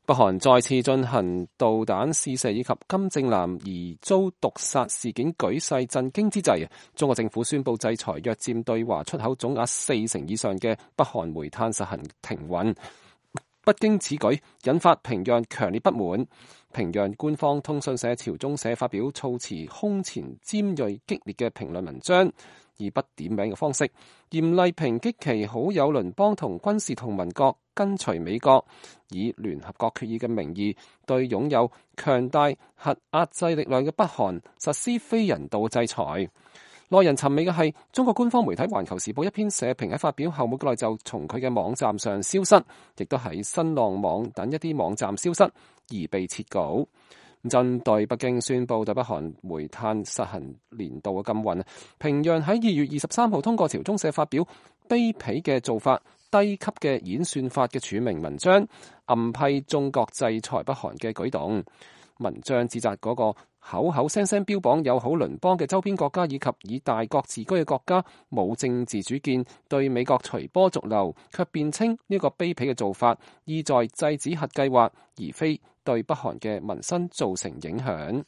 北韓再次進行導彈試射以及金正男疑遭毒殺事件舉世震驚之際，中國政府宣布制裁約佔對華出口總額40%以上嘅北韓煤炭實行停運。北京此舉引發平壤強烈不滿，平壤官方通訊社朝中社發表措辭空前尖銳激烈嘅評論文章，以不點名嘅方式嚴厲抨擊其好友鄰邦同軍事同盟國跟隨美國，以聯合國決議嘅名義對擁有強大核壓制力量嘅北韓實施非人道制裁。耐人尋味嘅係，中國官方媒體《環球時報》一篇社評喺發表後冇幾耐就從佢嘅網站上消失，亦都喺新浪網等一啲網站消失而被撤稿。針對北京宣布對北韓煤炭實行年度嘅禁運，平壤喺2月23號通過朝中社發表卑鄙嘅做法、低級嘅演算法嘅署名文章，暗批中國制裁北韓嘅舉動。文章指責嗰個口口聲聲標榜友好鄰邦嘅周邊國家以及以大國自居嘅國家冇政治主見，對美國隨波逐流，卻辯稱呢個卑鄙嘅做法意在制止核計劃，而非對北韓嘅民生造成影響。